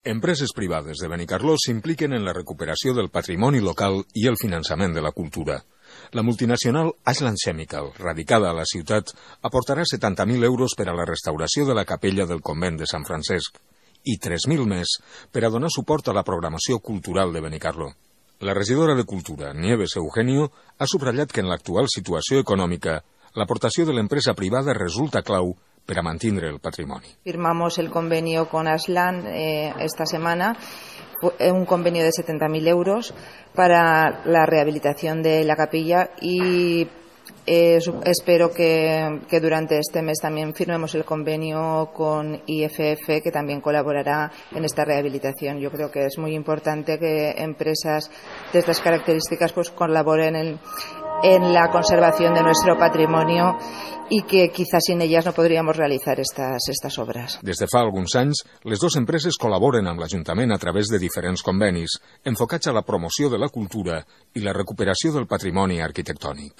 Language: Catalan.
Empreses privades de Benicarló s'impliquen en la recuperació del patrimoni local i el finançament de la cultura. La multinacional Ashland Chemical, radicada a la ciutat, aportarà 70.000 euros per a la restauració de la capella del convent de Sant Francesc i 3.000 més per a donar suport a la programació cultural de Benicarló. La regidora de Cultura, Nieves Eugenio, ha subratllat que en l'actual situació econòmica l'aportació de l'empresa privada resulta clau per a mantener el patrimoni. Firmamos el convenio con Ashland esta semana, un convenio de 70.000 euros para la rehabilitación de la capilla y espero que durante este mes también firmemos el convenio con IFF, que también colaborará en esta rehabilitación. Yo creo que es muy importante que empresas de estas características pues colaboren en la conservación de nuestro patrimonio i que quizás sin ellas no podríamos realizar estas obras. Des de fa alguns anys, les dues empreses col·laboren amb l'Ajuntament a través de diferents convenis, enfocats a la promoció de la cultura i la recuperació del patrimoni arquitectònic.